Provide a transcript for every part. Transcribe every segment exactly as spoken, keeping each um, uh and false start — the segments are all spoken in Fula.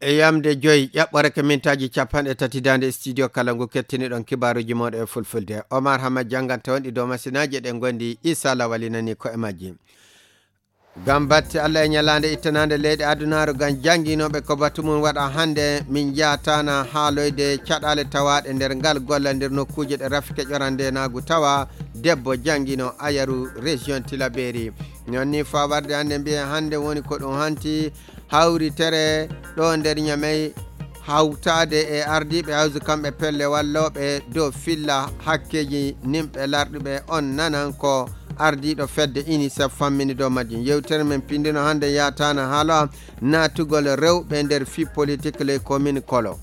E yamde joyi ƴaɓɓore ko mintaaji capanɗe tati daande studio kala ngu kettiniɗon kibaaruuji mooɗon e fulfulde. Omar Hamad jannganta on ɗi dow masinaaji eɗen ngondi Isa Lawali nani ko e majji. Ngam batte Allah e ñalaande ittanaande leyɗe adunaaru ngam jannginooɓe ko batu mum waɗa hannde, min njaataana haaloyde caɗaale tawaaɗe nder ngal gollal nder nokkuuje ɗe rafike ƴorande naagu tawa debbo janngino ayaru région Tilaberi. Non ni faa warde hannde mbiyen hannde woni ko ɗum hanti hawritere ɗo nder Ñamey hawtaade e ardiiɓe hawsu kamɓe pelle wallooɓe dow filla hakkeeji nimɓe larɗuɓe on nanan ko ardiiɗo fedde UNICEF fammini dow majjum. Yewtere men pindino hannde yaataana haala naatugol rewɓe nder fii politik ley komin kolo.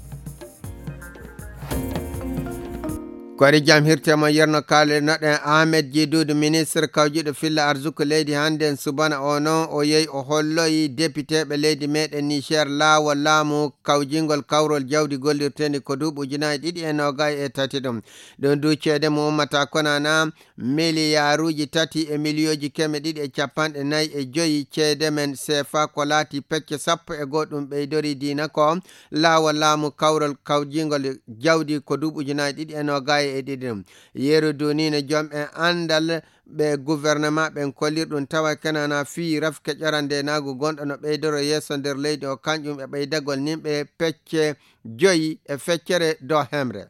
Kori jam hirte mo yerno kaale noɗen Ahmed Jidudu, ministre kawjiɗo filla arzuku leydi, hannde en subana o non o yehi o holloyi depiteɓe leydi meɗen Niger laawo laamu kawjingol kawrol jawdi gollirtendi ko duuɓi ujunaaji ɗiɗi e noogay e tati ɗum. Ɗum du ceede mo ummata konana miliyaaruuji tati e miliyooji keme ɗiɗi e capanɗe nayi e joyi ceede men seefa ko laati pecce sappo e goo ɗum ɓeydori diina ko laawol laamu kawral kawjingol jawdi ko duuɓi ujunaaji ɗiɗi e noogay e ɗiɗi ɗum. Yeru dunine jom en anndal ɓe gouvernement ɓen kollirɗum tawa kenana fii rafke ƴorande naagu gonɗo no ɓeydoro yeeso nder leydi o kanƴum e ɓeydagol nimɓe pecce joyi e feccere dow hemre.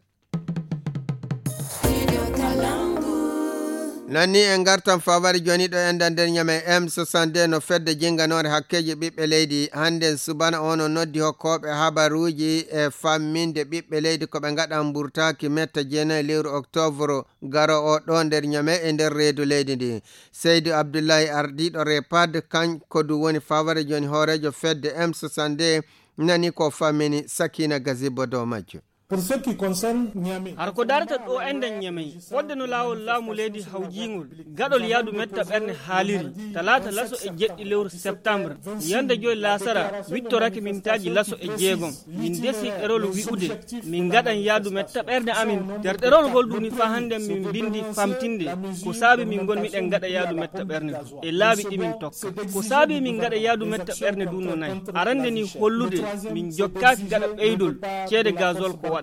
Non ni en ngartan fawari joni ɗo enda nder Ñamey M soixante-deux no fedde jinganore hakkeji ɓiɓɓe leydi hannden subana o no noddi hokkooɓe habaruuji e famminde ɓiɓɓe leydi ko ɓe ngaɗan mburtaaki metta jeenayi lewru octobre garo o ɗo nder Ñamey e nder reedu leydi ndi. Seydu Abdullahi ardiiɗo repad kanko du woni fawari joni hooreejo fedde M soixante-deux nani ko fammini Sakina Gazibbo dow majjo. Pour ce qui concerne Niamey, hara ko darata ɗo enɗen Ñamey, fodde no laawol laamu leydi hawjiingol gaɗol yaadu metta ɓerne haaliri talaata laso e jeɗɗi lewru septembre yande joy laasara wittorake mintaaji laso e jeegom. Min desi ɗerol wi'ude min ngaɗan yaadu metta ɓerne amin. Nder ɗerol ngol ɗuni faa hannden min mbindi famtinde ko saabi min ngon miɗen ngaɗa yaadu metta ɓerne e laabi ɗi min tokka. Ko saabi min ngaɗa yaadu metta ɓerne du no nayi. Arande ni hollude min jokkaaki gaɗa ɓeydol ceede gazol ko waɗa ɗum.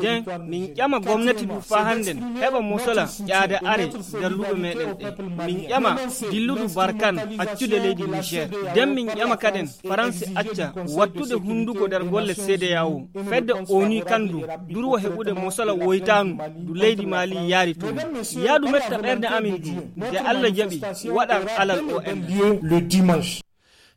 Den min ƴama gomnati du faa hannden heɓa mosola ƴaade are nder luɓe meɗen ɗe. Min ƴama dilludu Barkan accude leydi Niger. Den min ƴama kaden Faransi acca wattude hunduko nder golle C D A O. Fedde O N U kan du durwo heɓude mosola woytaanu du leydi Mali yaari toon. Yaadu metta ɓerde amin du nde Allah jaɓi waɗan alal O N.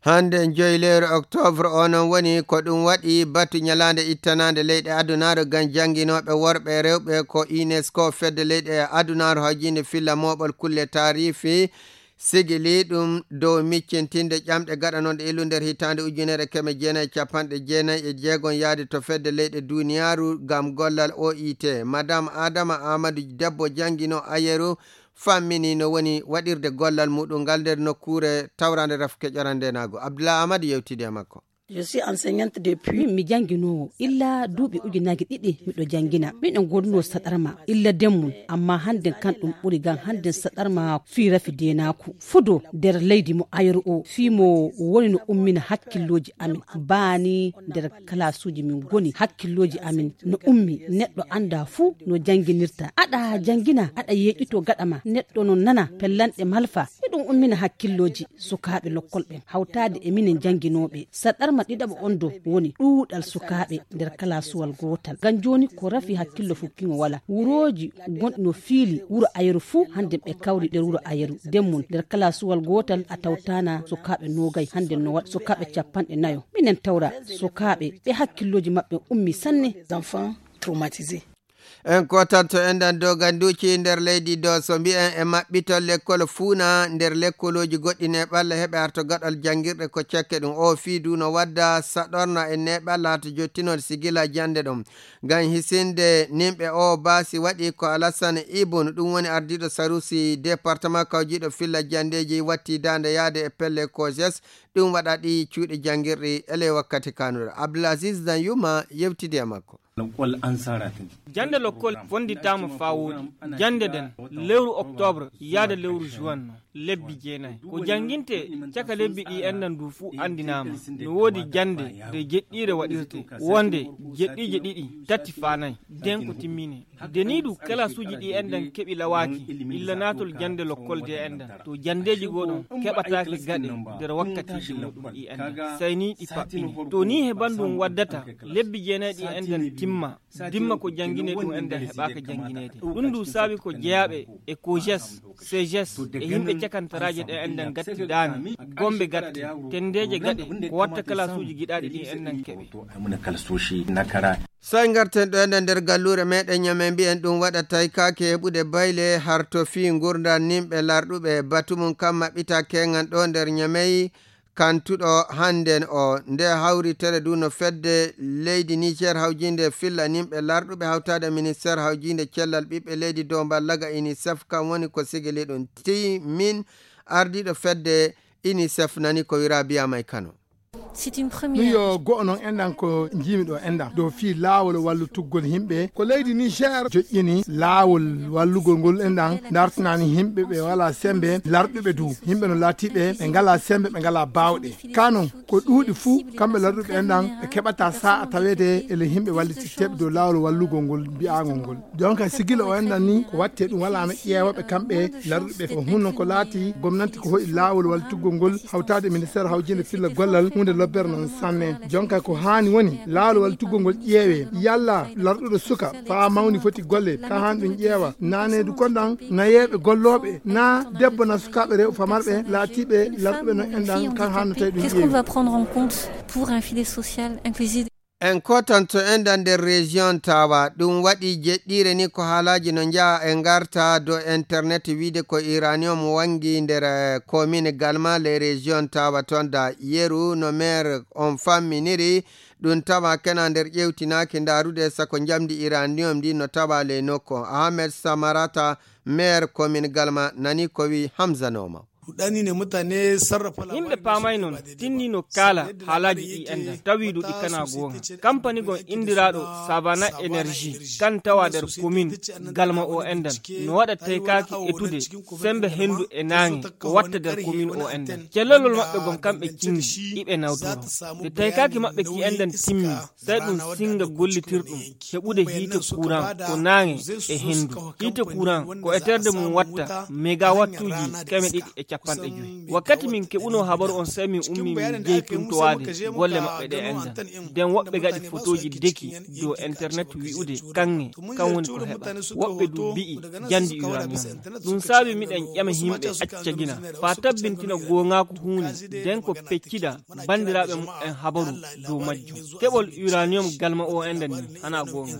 Hannde joyi lewru octobre o non woni ko ɗum waɗi batu ñalaande ittanaande leyɗe adunaaru ngam jannginooɓe worɓe e rewɓe ko UNESCO fedde leyɗe adunaaru hawjiinde filla mooɓol kulle taarifi sigili ɗum dow miccintinde ƴamɗe gaɗanonɗe illu nder hitaande ujunere keme jeenayi e capanɗe jeenayi e jeegom yaade to fedde leyɗe duniyaaru ngam gollal O I T. Madame Adama Amadou debbo janngino ayeru fammini no woni waɗirde gollal muɗum ngal nder nokkuure tawraande rafke ƴorandenaago. Abdoulaye Amadou yewtidi e makko. Je suis enseignante depuis. Min mi jannginoowo illa duuɓi ujunaaji ɗiɗi miɗo janngina. Miɗo ngonnoo saɗarma illa demmum, amma hannden kan ɗum ɓuri ngam hannden saɗarma fii rafi deenaaku. Fudo nder leydi mo ayru o fii mo woni no ummina hakkillooji amin. Baani nder kalaasuuji min ngoni hakkillooji amin no ummi. Neɗɗo anndaa fuu no jannginirta. Aɗa janngina, aɗa yeeƴitoo gaɗa ma. Neɗɗo no nana pellanɗe malfa. Hiɗum ummina hakkillooji sukaaɓe lokkol ɓen hawtaade e minen jannginooɓe. Saɗarma ɗiɗaɓo on do woni ɗuuɗal sukaaɓe nder kalaasuwal gootal. Ngam jooni ko rafi hakkillo fukkiŋo wala. Wurooji gonɗi no fiili wuro Ayeru fuu hannden ɓe kawri nder wuro Ayeru. Nden mum nder kalaasuwal gootal a tawtaana sukaaɓe noogay, hannden no waɗa sukaaɓe capanɗe nayo. Minen tawra sukaaɓe ɓe hakkillooji maɓɓe ummi sanne. Enfants traumatisés. En kotanto enɗan doganduuji nder leydi do so mbi'en e maɓɓitol lekkol fuuna nder lekkolooji goɗɗi neeɓalla heɓe arto gaɗal janngirɗe ko cekke ɗum. O fii du no wadda saɗorna e neeɓalla hata jottinol sigila jannde ɗum. Ngam hisinde nimɓe o baasi waɗi ko Alassane Ibun, ɗum woni ardiiɗo sarusi département kawjiiɗo filla janndeeji watti daande yaade e pelle COJES, ɗum waɗa ɗi cuuɗi janngirɗi ele wakkati kanuɗo. Abdoulaziz Danyuma yewtidi e makko. Jannde lokkol fonnditaama faa wooɗi. Jannde nden, lewru oktoobre yaada lewru juwan no, lebbi jeenay. Ko janngintee caka lebbi ɗi enɗan du fuu anndinaama. No woodi jannde de jeɗɗiire waɗirtee. Wonde jeɗɗiije ɗiɗi, tati faa nay. Nden ko timminee. De nii du kalaasuuji ɗi enɗan keɓi lawaaki. Illa naatol jannde lokkol de enɗan. To janndeeji goo ɗon keɓataake gaɗe nder wakkatiiji muuɗum ɗi enɗan. Sey nii ɗi paɓɓini. To nii he banndum waddata, lebbi jeenay ɗi enɗan timma. Dimma ko jannginee ɗum enɗan heɓaaka janngineede. Ɗum du saabi ko jeyaaɓe e kojes, sejes, e yimɓe cakantaraaje ɗe enɗan gatti daane. Gombe gatti, tenndeeje gaɗe, ko watta kalaasuuji giɗaaɗi ɗi enɗan keɓe. Sey ngarten ɗo enɗan nder galluure meɗen Ñamey, mbiyen ɗum waɗa taykaaki heɓude bayle harto fii ngurndan nimɓe larɗuɓe. Batu mum kan maɓɓita keŋan ɗo nder Ñamey, kantuɗo hannden o. Nde hawritere du no fedde leydi Niger hawjinde filla nimɓe larɗuɓe hawtaade ministeer hawjinde cellal ɓiɓɓe leydi dow mballaga UNICEF, kan woni ko sigili ɗum. Ti min ardiiɗo fedde UNICEF nani ko wiraa Biya May Kano. C'est une première. Ɗum yo go'o noon enɗan ko njiimi ɗo enɗan dow fii laawol wallutugol yimɓe. Ko leydi Niger joƴƴini laawol wallugol ngol enɗan, dartinaani yimɓe ɓe walaa sembe, larɗuɓe du. Yimɓe no laatiiɓe ɓe ngalaa sembe, ɓe ngalaa baawɗe. Ka noon, ko ɗuuɗi fuu, kamɓe larɗuɓe enɗan, ɓe keɓataa saa'a taweede e le yimɓe wallititteeɓe dow laawol wallugol ngol mbiyaangol ngol. Jonka sigila o enɗan ni, ko watte ɗum walaa no ƴeewaɓe kamɓe larɗuɓe. Ko hunno ko laati, gomnanti ko hoɗi laawol wallitugol ngol, hawtaade ministeer hawjinde filla gollal, huunde lobbere noon sanne. Jonka ko haani woni, laawol wallitugol ngol ƴeewe. Yalla larɗuɗo suka, faa mawni foti golle, ka haan ɗum ƴeewa. Naneedu kon ɗan, nayeeɓe gollooɓe, na debbo na sukaaɓe rewɓe famarɓe, laatiiɓe larɗuɓe noon enɗan, kan haan no tawi ɗum Qu'est-ce qu'on ƴeewi? Va prendre en compte pour un filet social inclusif? En kotanto enɗan nder région Tawa. Ɗum waɗi jeɗɗiire ni ko haalaaji no njaha e ngarta dow internet wiide ko uranium wangi nder, eh, commune Galma, les régions Tawa toon da yeru no maire on famminiri. Ɗum tawa kena nder ƴewtinaaki ndaarude sako njamdi uranium ndi no tawa ley nokku. Ahmed Samarata, maire commune Galma, nani ko wi Hamza Nooma. Yimɓe paamay non, tinni no kaala haalaaji ɗi enɗan, tawi du ɗi kana goonga. Kampani gon inndiraaɗo Savana Energy, kan tawa nder commune Galma o enɗan, no waɗa taykaaki etude sembe hendu e naange ko watta nder commune o enɗan. Cellolol maɓɓe gon kamɓe cingi, iɓe nawtoro. Nde taykaaki maɓɓe ki enɗan timmi, sey ɗum singa gollitirɗum heɓude hiite kuran ko naange e hendu. Hiite kuran ko eterde mum watta megawattuuji keme ɗiɗi e capanɗe joyi. Wakkati min keɓunoo habaru on, sey min ummi min jehi tuntowaade golle maɓɓe ɗe enɗan. Nden woɓɓe gaɗi fotooji deki dow internet wi'ude kaŋŋe, kan woni ko heɓa. Woɓɓe du mbi'i jandi uranium. Ɗum saabi miɗen ƴama yimɓe acca gina, faa tabbintina goongaaku huunde, nden ko peccida banndiraaɓe muɓɓen habaru dow majjum. Keɓol uranium Galma o enɗan ni, hanaa goonga.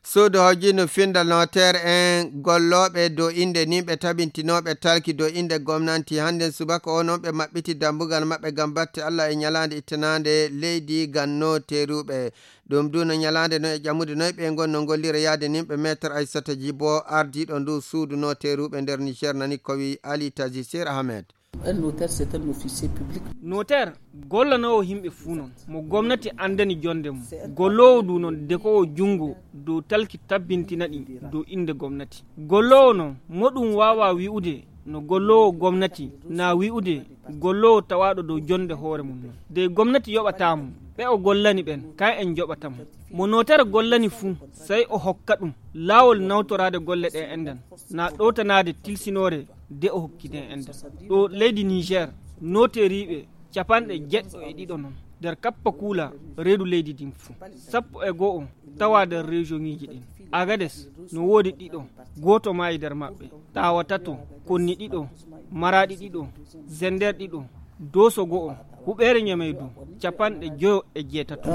Suudu hawjindu findal noteer en gollooɓe dow innde ni ɓe tabintinooɓe talki dow innde gomnanti. Hannden subaka o noon ɓe maɓɓiti dambugal maɓɓe ngam batte Alla e ñalaande ittanaande leydi ngam noteeruɓe. Ɗum du no ñalaande no e ƴamude noy ɓe ngon no ngollira yaade nimɓe. Maître Aissata Djibo, ardiiɗo ndu suudu noteeruɓe nder Niger, nani ko wi Ali Tazi Sir Ahmed. Un notaire, c'est un officier public. Noteer gollanoowo yimɓe fuu non, mo gomnati anndani jonnde mum. Golloowo du non dekoowo junngo dow talki tabbintina ɗi dow innde gomnati. Golloowo non, mo ɗum waawaa wi'ude no golloowo gomnati, naa wi'ude golloowo tawaaɗo dow jonnde hoore mum non. De gomnati yoɓataa mo, ɓe o gollani ɓen, kan en njoɓata mo. Mo noteer gollani fuu, sey o hokka ɗum laawol nawtoraade golle ɗe enɗan, naa ɗowtanaade tilsinoore de o hokki ɗe enɗan. Ɗo leydi Niger, noteeriiɓe capanɗe jeɗɗo e ɗiɗo non nder kappa kuula reedu leydi ndin fuu. Sappo e go'o tawa nder région ŋiiji ɗin. Agades no woodi ɗiɗo, gooto maayi nder maɓɓe. Tawa tato, Konni ɗiɗo, Maraaɗi ɗiɗo, Zender ɗiɗo, Dooso go'o, huɓeere Ñamey du, capanɗe joyo e jeetato.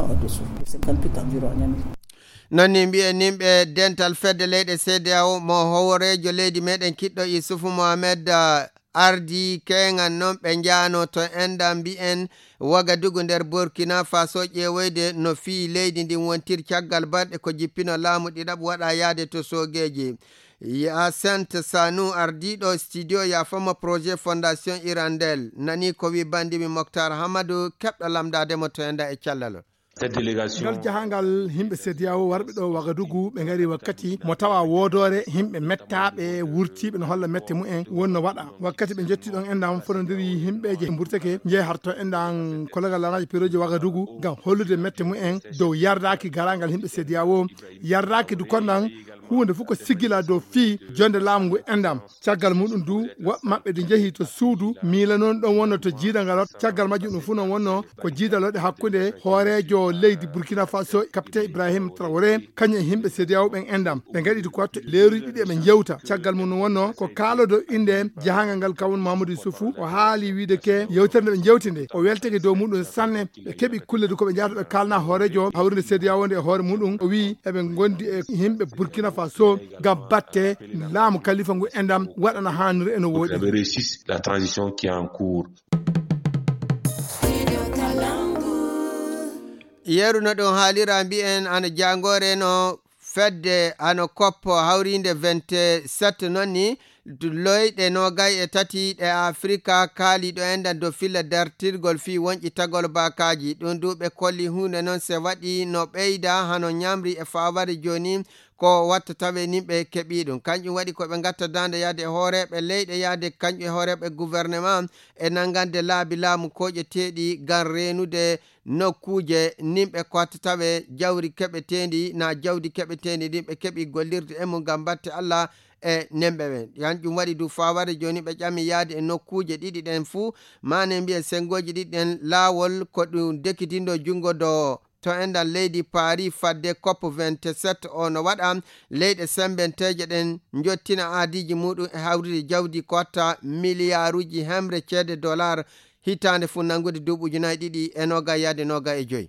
Non ni mbiyen nimɓe dental fedde leyɗe C D A O, mo howoreejo leydi meɗen kiɗɗo Isufu Mohamed, ah, ardi keŋan non ɓe njaano to enɗan mbiyen Wagadugu nder Burkina Faso ƴeewoyde no fii leydi ndin wontiri caggal balɗe ko jippino laamu ɗiɗaɓu waɗa yaade to soogeeji. Yacinthe Sanou, ardiiɗo studio yaafama projet Fondation Hirondelle, nani ko wi bandimi Moctar Hamadou, keɓɗo lamndaade mo to enɗan e cellal. Ngal jahangal himɓe C D A O warɓe ɗo Wagadugu, ɓe ngari wakkati mo tawa woodore himɓe mettaaɓe wurtiiɓe no holla mette mumen wonno waɗa. Wakkati ɓe njotti ɗon, enɗam fotondiri himɓeeje mburteke, njehi harto enɗam kologal lanaaji peroji Wagadugu ngam hollude mette mumen dow yardaaki garaangal himɓe C D A O, yardaaki du konɗam huunde fof ko siggila dow fii jonde laamu ngu enɗam. Caggal muɗum du, woɓɓe maɓɓe de njehi to suudu miila noon ɗon wonno to jiidal ngal. Caggal majjum ɗum fuu noon wonno ko jiidal waɗi hakkunde hooreejo leydi Burkina Faso, Capitaine Ibrahim Traoré, kañum e himɓe C D A O ɓen enɗam. Ɓe ngaɗi ko wattu leeruji ɗiɗi eɓe njewta. Caggal mum wonno ko kaalodo innde jahangal ngal kawun Mamadou Youssoufou. O haali wiide ke yewtere nde ɓe njewti nde, o weltake dow muɗum sanne. Ɓe keɓi kulle du ko ɓe njahata ɓe kaalna hooreejo hawrinde C D A O nde e hoore muɗum. O wi'i eɓe ngondi e himɓe Burkina Faso ngam batte laamu kalifa ngu enɗam waɗana haaniri e no wooɗi. Vous avez réussi la transition qui est en cours. Yeru no ɗum haalira mbi'en ano jangore no fedde ano koppo hawrinde vingt-sept noon ni loyɗe noogay e tati ɗe Afrika kaali ɗo enɗam dow filla dartirgol fii wonƴitagol baakaaji. Ɗum du ɓe kolli huunde noon se waɗi no ɓeyda hano ñamri e faaware jooni ko watta tawe nin ɓe keɓi ɗum. Kanƴum waɗi ko ɓe ngatta daande yaade e hooreeɓe leyɗe yaade kanƴum e hooreeɓe gouvernement e nanngande laabi laamu koƴeteeɗi ngam reenude nokkuuje nin ɓe ko watta tawe jawri keɓeteendi na jawdi keɓeteendi ndin ɓe keɓi gollirde e mum ngam batte Allah e nemɓe ɓen. Kanƴum waɗi du faaware jooni ɓe ƴami yaade e nokkuuje ɗiɗi ɗen fuu, maane mbiyen senngooji ɗiɗi ɗen laawol ko ɗum dekidindo junngo do to enɗam leydi Paris fadde COP vingt-sept o no waɗa leyɗe semmbenteeje ɗen njottina aadiiji muɗum e hawrude jawdi ko watta miliyaaruuji hemre ceede dollar hitaande fuu nanngude duuɓi ujunaaji ɗiɗi e noogay yaade noogay e joy.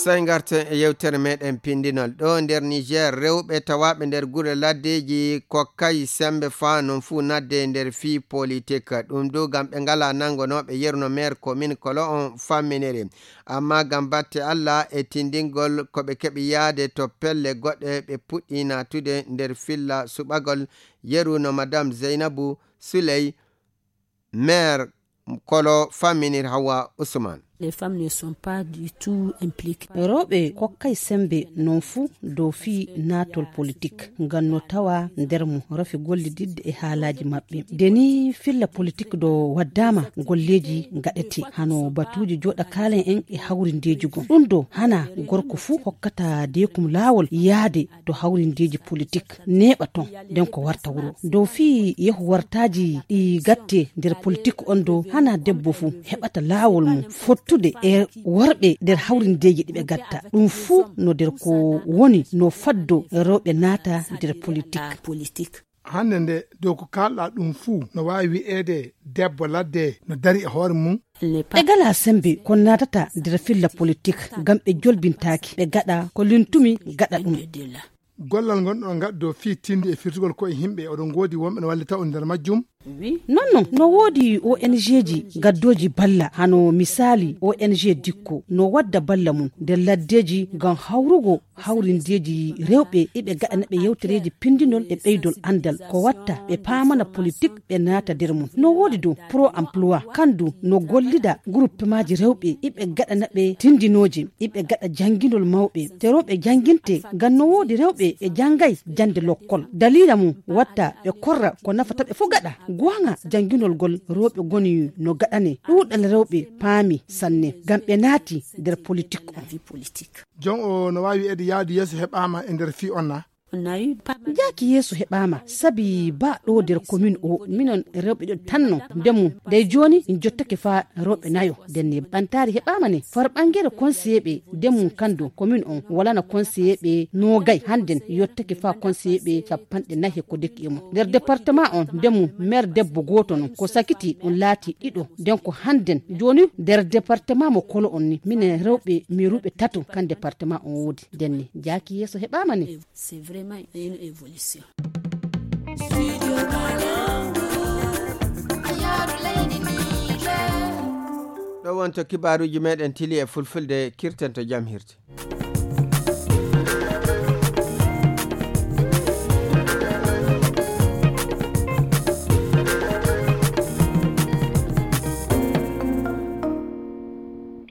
Sey ngarten e yewtere meɗen pindinol. Ɗo nder Niger, rewɓe tawaaɓe nder gure laddeeji kokkay sembe faa non fuu nadde nder fii politik. Ɗum du ngam ɓe ngalaa nanngonooɓe yeru no maire commune Kolo on famminiri. Amma ngam batte Allah e tindingol ko ɓe keɓi yaade to pelle goɗɗe, ɓe puɗɗi naatude nder filla suɓagol yeru no Madame Zeynabu Suley, maire Kolo famminir Hawa Usman. Les femmes ne sont pas du tout impliquées. Rewɓe kokkay sembe non fuu dow fii naatol politik ngam no tawa nder mum rafi gollididde e haalaaji maɓɓe. Nde ni filla politik do waddaama golleeji ngaɗete hano batuuji jooɗa kaalen en e hawrindeeji goo. Ɗum do hana gorko fuu hokkata deekum laawol yaade to hawrindeeji politik neeɓa ton nden ko warta wuro. Dow fii yehu wartaaji ɗi gatte nder politik on do hana debbo fuu heɓata laawol mum fottude e worɓe nder hawrindeeji ɗi ɓe gatta. Ɗum fuu no nder ko woni no faddo rewɓe naata nder politik. Hannde nde dow ko kaalɗaa ɗum fuu no waawi wi'eede debbo ladde no dari e hoore mum. Ɓe ngalaa sembe ko naatata nder filla politik ngam ɓe jolbintaaki ɓe gaɗa ko lintumi gaɗa ɗum. Gollal ngonɗon ngaɗa dow fii tindi e firtugol koye himɓe oɗon ngoodi wonɓe no wallita on nder majjum? Non non no woodi O N G ji gaddooji balla hano misaali O N G Dikko no wadda balla mum nder laddeeji ngam hawrugo hawrindeeji rewɓe iɓe gaɗana ɓe yewtereeji pindinol e ɓeydol anndal ko watta ɓe paamana politik ɓe naata nder mum. No woodi dow Pro Emploi kandu no gollida guruppemaaji rewɓe iɓe gaɗana ɓe tindinooje iɓe gaɗa jannginol mawɓe te rewɓe jannginte ngam no woodi rewɓe ɓe janngay jannde lokkol daliila mum watta ɓe korra ko nafata ɓe fof gaɗa goonga jannginol ngol rewɓe ngoni no gaɗane ɗuuɗal rewɓe paami sanne ngam ɓe naati nder politik on. Jon o no waawi wi'eede yaadu yeeso heɓaama e nder fii on na? Jaaki yeeso heɓaama sabi ba ɗo nder komin o minon rewɓe ɗo tanno ndemu dey jooni en jottake faa rewɓe nayo ndenne ɓantaari heɓaama ne far ɓangere konseyeeɓe ndemu kando komin on walana konseyeeɓe noogay hannden yottake faa konseyeeɓe cappanɗe nayi e ko dekki e mum nder departement on ndemu maire debbo gooto non ko sakiti ɗum laati ɗiɗo nden ko hannden jooni nder departement mo kolo on ni minen rewɓe meruɓe tato kan departement on woodi ndenne jaaki yeeso heɓaama ne. C'est vraiment une évolution. Ɗo wonto kibaaruuji meɗen tili e fulfulde kirten to jam hirti.